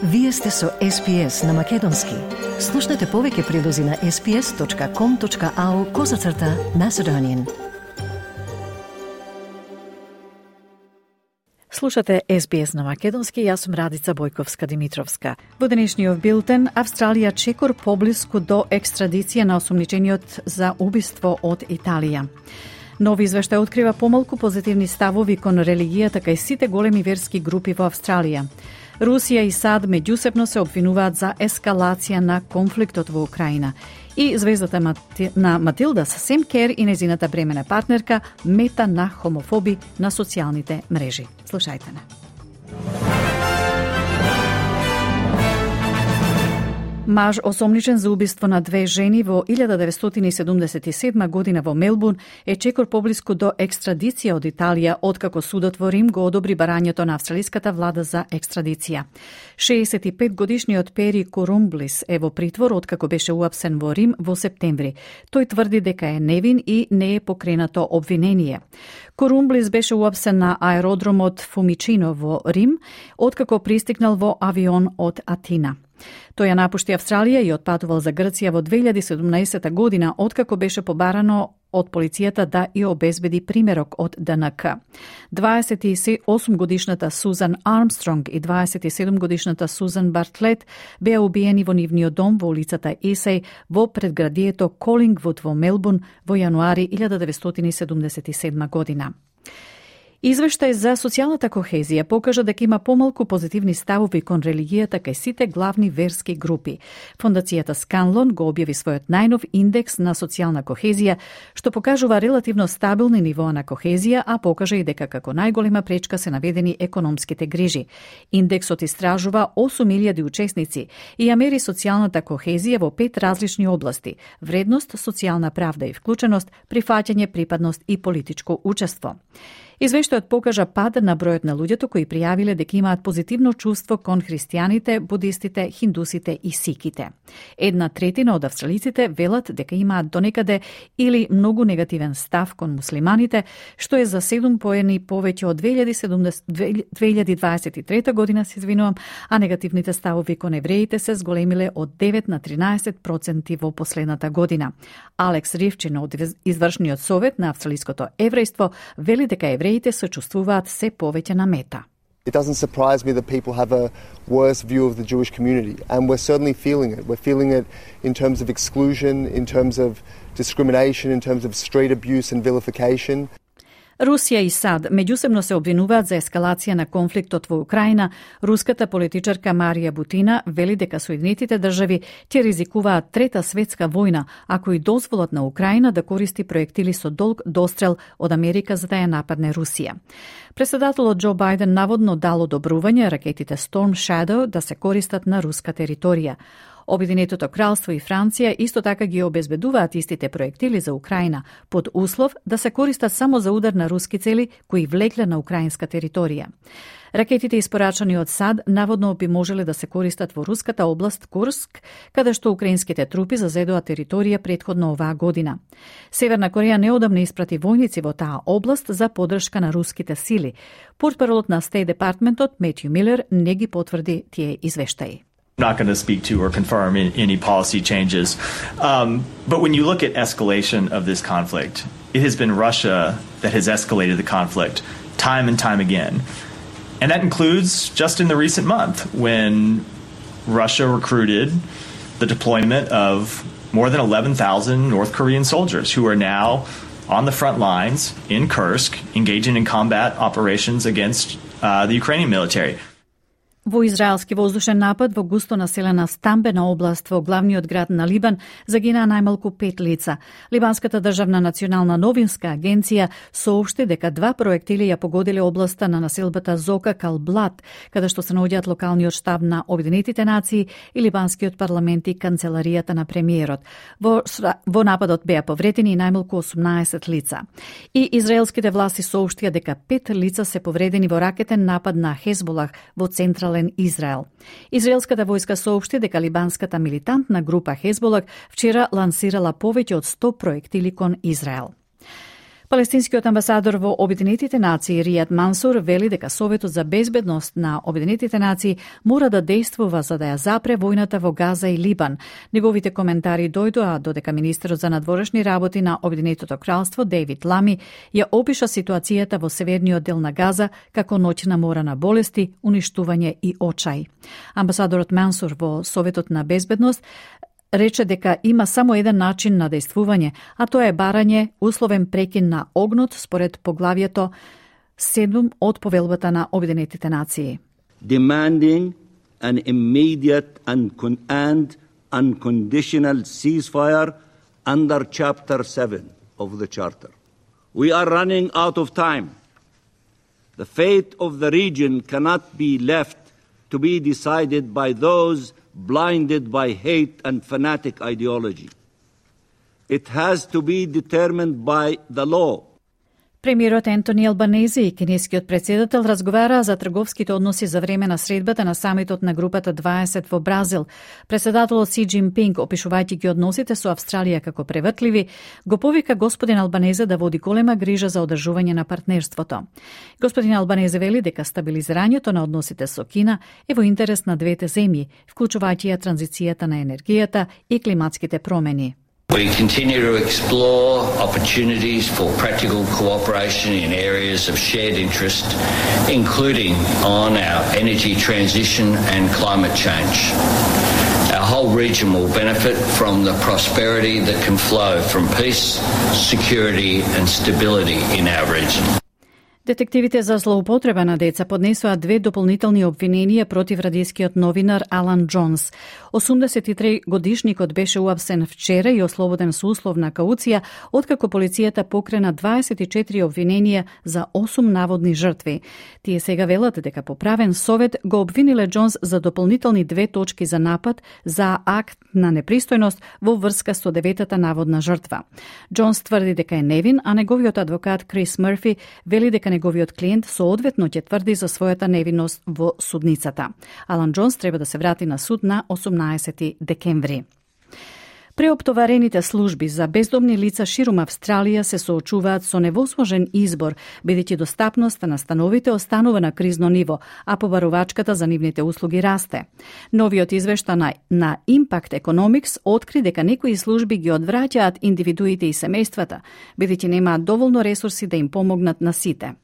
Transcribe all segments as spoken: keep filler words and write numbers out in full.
Вие сте со Ес Би Ес на Македонски. Слушнете повеќе прилози на ес би ес точка ком точка ау козацрта Macedonian. Слушате Ес Би Ес на Македонски, јас сум Радица Бојковска-Димитровска. Во денешниот билтен, Австралија чекор поблиску до екстрадиција на осумничениот за убиство од Италија. Нови извештај открива помалку позитивни ставови кон религијата кај сите големи верски групи во Австралија. Русија и САД меѓусебно се обвинуваат за ескалација на конфликтот во Украина. И звездата на Матилда Сем Кер и незината бремена партнерка мета на хомофоби на социјалните мрежи. Слушајте не. Маж осомничен за убиство на две жени во илјада деветстотини и седумдесет и седма година во Мелбурн е чекор поблиску до екстрадиција од Италија, откако судот во Рим го одобри барањето на австралиската влада за екстрадиција. шеесет и пет годишниот Пери Корумблис е во притвор откако беше уапсен во Рим во септември. Тој тврди дека е невин и не е покренато обвинение. Корумблис беше уапсен на аеродромот Фумичино во Рим, откако пристигнал во авион од Атина. Тој ја напушти Австралија и отпатувал за Грција во две илјади и седумнаесета година, откако беше побарано од полицијата да ја обезбеди примерок од Д Н К. дваесет и осум годишната Сузан Армстронг и дваесет и седум годишната Сузан Бартлет беа убиени во нивниот дом во улицата Есеј во предградието Колингвуд во Мелбурн во јануари илјада деветстотини и седумдесет и седма година. Извештај за социјалната кохезија покажа дека има помалку позитивни ставови кон религијата кај сите главни верски групи. Фондацијата Сканлон го објави својот најнов индекс на социјална кохезија, што покажува релативно стабилни нивоа на кохезија, а покажа и дека како најголема пречка се наведени економските грижи. Индексот истражува осум илјади учесници и ја мери социјалната кохезија во пет различни области: вредност, социјална правда и вклученост, прифаќање, припадност и политичко учество. Извештајот покажа пад на бројот на луѓето кои пријавиле дека имаат позитивно чувство кон христијаните, будистите, хиндусите и сиките. Една третина од австралиците велат дека имаат донекаде или многу негативен став кон муслиманите, што е за седум поени повеќе од две илјади дваесет и трета година, се извинувам, а негативните ставови кон евреите се зголемиле од девет на тринаесет проценти во последната година. Алекс Ривчин од извршниот совет на австралиското еврејство вели дека евреите се чувствуваат се повеќе на мета. It doesn't surprise me that people have a worse view of the Jewish community, and we're certainly feeling it. We're feeling it in terms of exclusion, in terms of discrimination, in terms of street abuse and vilification. Русија и САД меѓусебно се обвинуваат за ескалација на конфликтот во Украина. Руската политичарка Марија Бутина вели дека Соединетите држави ќе ризикуваат трета светска војна ако и дозволат на Украина да користи проектили со долг дострел од Америка за да ја нападне Русија. Претседателот Џо Бајден наводно дал одобрување ракетите Storm Shadow да се користат на руска територија. Обединетото кралство и Франција исто така ги обезбедуваат истите проектили за Украина, под услов да се користат само за удар на руски цели кои влегле на украинска територија. Ракетите испорачани од САД наводно би можеле да се користат во руската област Курск, каде што украинските трупи зазедоа територија претходно оваа година. Северна Кореја неодамна испрати војници во таа област за поддршка на руските сили. Портпаролот на Стейт Департментот Метју Милер не ги потврди тие извештаи. Not going to speak to or confirm any policy changes. Um, but when you look at escalation of this conflict, it has been Russia that has escalated the conflict time and time again. And that includes just in the recent month when Russia recruited the deployment of more than eleven thousand North Korean soldiers who are now on the front lines in Kursk engaging in combat operations against uh, the Ukrainian military. Во израелски воздушен напад во густо населена стамбена област во главниот град на Либан загинаа најмалку пет лица. Либанската државна национална новинска агенција соопшти дека два проектили ја погодиле областа на населбата Зока Калблат, каде што се наоѓаат локалниот штаб на Обединетите нации и либанскиот парламент и канцеларијата на премиерот. Во, во нападот беа повредени најмалку осумнаесет лица. И израелските власти соопштија дека пет лица се повредени во ракетен напад на Хезболах во централен Израел. Израелската војска соопшти дека либанската милитантна група Хезболак вчера лансирала повеќе од сто проектили кон Израел. Палестинскиот амбасадор во Обединетите нации Ријад Мансур вели дека Советот за безбедност на Обединетите нации мора да действува за да ја запре војната во Газа и Либан. Неговите коментари дојдоа додека министерот за надворешни работи на Обединетото кралство Дейвид Лами ја опиша ситуацијата во северниот дел на Газа како ноќна мора на болести, уништување и очај. Амбасадорот Мансур во Советот на безбедност рече дека има само еден начин на действување, а тоа е барање условен прекин на огнот според поглавието седум од повелбата на Обединетите нации. Demanding an immediate and, con- and unconditional ceasefire under Chapter seven of the Charter. We are running out of time. The fate of the region cannot be left to be decided by those blinded by hate and fanatic ideology. It has to be determined by the law. Премиерот Ентони Албанези и кинескиот претседател разговараа за трговските односи за време на средбата на самитот на групата дваесет во Бразил. Претседателот Си Џинпинг, опишувајќи ги односите со Австралија како превртливи, го повика господин Албанезе да води голема грижа за одржување на партнерството. Господин Албанезе вели дека стабилизирањето на односите со Кина е во интерес на двете земји, вклучувајќи ја транзицијата на енергијата и климатските промени. We continue to explore opportunities for practical cooperation in areas of shared interest, including on our energy transition and climate change. Our whole region will benefit from the prosperity that can flow from peace, security and stability in our region. Детективите за злоупотреба на деца поднесоа две дополнителни обвиненија против радискиот новинар Алан Џонс. осумдесет и три годишникот беше уапсен вчера и ослободен со условна кауција, откако полицијата покрена дваесет и четири обвиненија за осум наводни жртви. Тие сега велат дека по правен совет го обвиниле Џонс за дополнителни две точки за напад за акт на непристојност во врска со деветата наводна жртва. Џонс тврди дека е невин, а неговиот адвокат Крис Мърфи вели дека неговиот клиент соодветно ќе тврди за својата невинност во судницата. Алан Џонс треба да се врати на суд на осумнаесети декември. Преоптоварените служби за бездомни лица ширум Австралија се соочуваат со невозможен избор, бидејќи достапноста на становите останува на кризно ниво, а побарувачката за нивните услуги расте. Новиот извештај на, на Impact Economics откри дека некои служби ги одвраќаат индивидуите и семејствата, бидејќи немаат доволно ресурси да им помогнат на сите.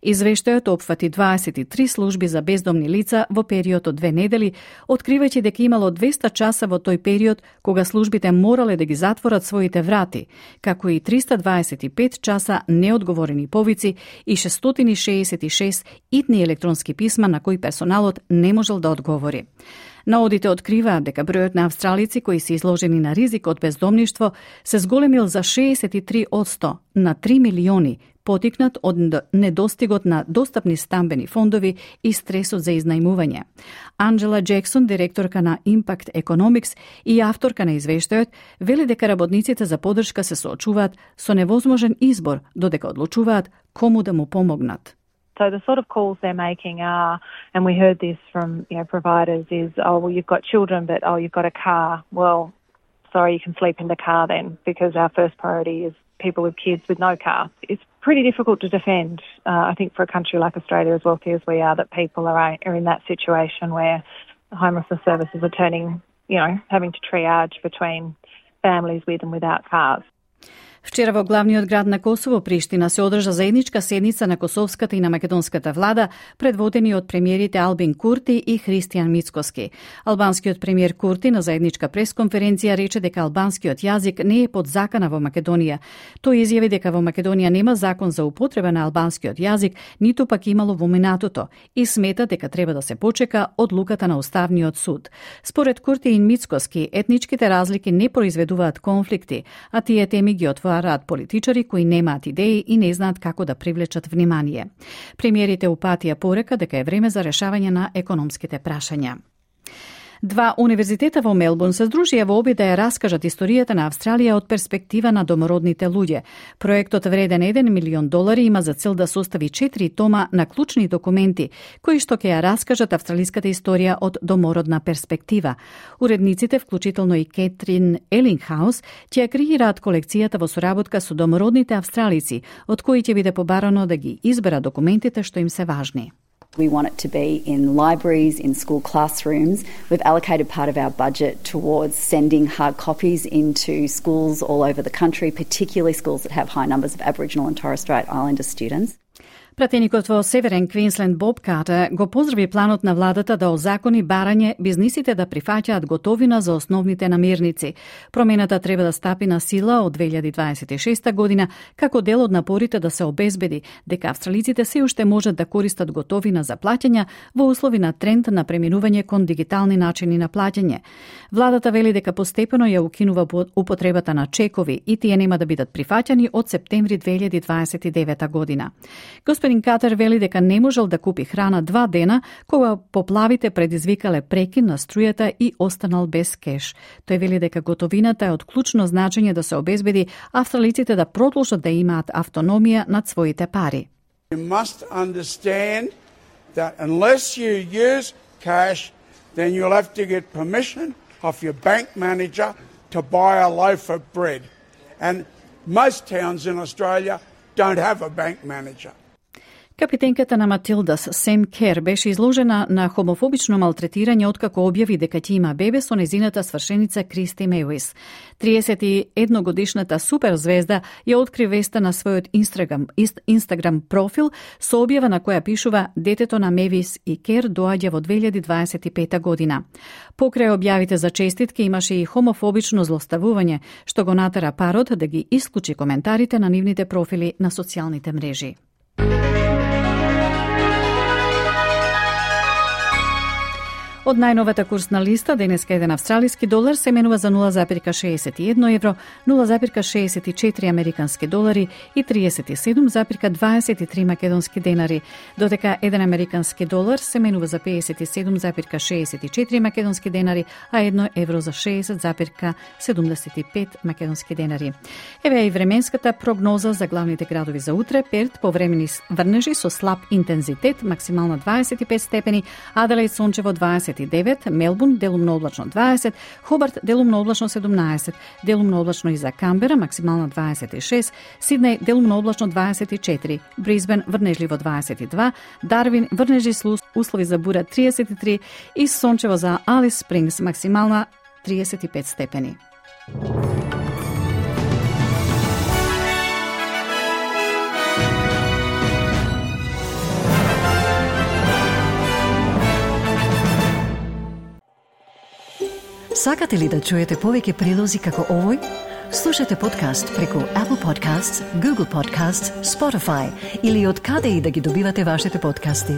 Извештајот опфати дваесет и три служби за бездомни лица во период од две недели, откривајќи дека имало двеста часа во тој период кога службите морале да ги затворат своите врати, како и триста дваесет и пет часа неодговорени повици и шестстотини шеесет и шест итни електронски писма на кои персоналот не можел да одговори. Наодите откриваат дека бројот на австралици кои се изложени на ризик од бездомништво се зголемил за шеесет и три одсто на три милиони, потикнат од недостигот на достапни стамбени фондови и стресот за изнајмување. Анджела Джексон, директорка на Impact Economics и авторка на извештајот, вели дека работниците за поддршка се соочуваат со невозможен избор, додека одлучуваат кому да му помогнат. So the sort of calls they're making are, and we heard this from you know providers, is oh well you've got children, but oh you've got a car. Well, sorry, you can sleep in the car then, because our first priority is people with kids with no car. It's pretty difficult to defend, uh, I think, for a country like Australia, as wealthy as we are, that people are are in that situation where homelessness services are turning, you know, having to triage between families with and without cars. Вчера во главниот град на Косово, Приштина, се одржа заедничка седница на косовската и на македонската влада, предводени од премиерите Албин Курти и Христијан Мицкоски. Албанскиот премиер Курти на заедничка пресконференција рече дека албанскиот јазик не е под закана во Македонија. Тој изјави дека во Македонија нема закон за употреба на албанскиот јазик, ниту пак имало во минатото, и смета дека треба да се почека одлуката на Уставниот суд. Според Курти и Мицкоски, етничките разлики не произведуваат конфликти, а тие теми ги отвораат политичари кои немаат идеи и не знаат како да привлечат внимание. Премиерите упатија порека дека е време за решавање на економските прашања. Два универзитета во Мелбурн се здружија во обид да ја раскажат историјата на Австралија од перспектива на домородните луѓе. Проектот вреден еден милион долари има за цел да состави четири тома на клучни документи, кои што ќе ја раскажат австралиската историја од домородна перспектива. Уредниците, вклучително и Кетрин Елингхаус, ќе ја креираат колекцијата во соработка со домородните австралици, од кои ќе биде побарано да ги изберат документите што им се важни. We want it to be in libraries, in school classrooms. We've allocated part of our budget towards sending hard copies into schools all over the country, particularly schools that have high numbers of Aboriginal and Torres Strait Islander students. Пратеникот во Северен Квинсленд Боб Картер го поздрави планот на владата да озакони барање бизнисите да прифаќаат готовина за основните намирници. Промената треба да стапи на сила од две илјади дваесет и шеста година како дел од напорите да се обезбеди дека австралиците се уште можат да користат готовина за плаќања во услови на тренд на преминување кон дигитални начини на плаќање. Владата вели дека постепено ја укинува употребата на чекови и тие нема да бидат прифаќани од септември две илјади дваесет и девета година. Господин Катер вели дека не можел да купи храна два дена кога поплавите предизвикале прекин на струјата и останал без кеш. Тој вели дека готовината е од клучно значење да се обезбеди австралиците да продолжат да имаат автономија над своите пари. You must understand that unless you use cash, then you'll have to get permission of your bank manager to buy a loaf of bread. And most towns in Australia don't have a bank manager. Капитенката на Матилдас, Сем Кер, беше изложена на хомофобично малтретирање откако објави дека ќе има бебе со незината свршеница Кристи Меуис. триесет и една годишната суперзвезда ја откри веста на својот Инстаграм, Инстаграм профил со објава на која пишува детето на Мевис и Кер доаѓа во две илјади дваесет и пета година. Покрај објавите за честитки имаше и хомофобично злоставување, што го натера парот да ги исклучи коментарите на нивните профили на социјалните мрежи. Од најновата курсна листа, денеска еден австралиски долар се менува за нула запирка шеесет и едно евро, нула запирка шеесет и четири американски долари и триесет и седум запирка дваесет и три македонски денари, додека еден американски долар се менува за пеесет и седум запирка шеесет и четири македонски денари, а едно евро за шеесет запирка седумдесет и пет македонски денари. Еве и временската прогноза за главните градови за утре. Перт повремени врнежи со слаб интензитет, максимална дваесет и пет степени, Аделаид сончево дваесет и девет, Мелбурн делумно облачно дваесет, Хобарт делумно облачно седумнаесет, делумно облачно и за Камбера, максимална дваесет и шест, Сиднеј делумно облачно дваесет и четири, Брисбен врнежливо дваесет и два, Дарвин врнежи с услови за бура триесет и три и сончево за Алис Спрингс, максимална триесет и пет степени. Сакате ли да чуете повеќе прилози како овој? Слушате подкаст преку Apple Podcasts, Google Podcasts, Spotify или од каде и да ги добивате вашите подкасти.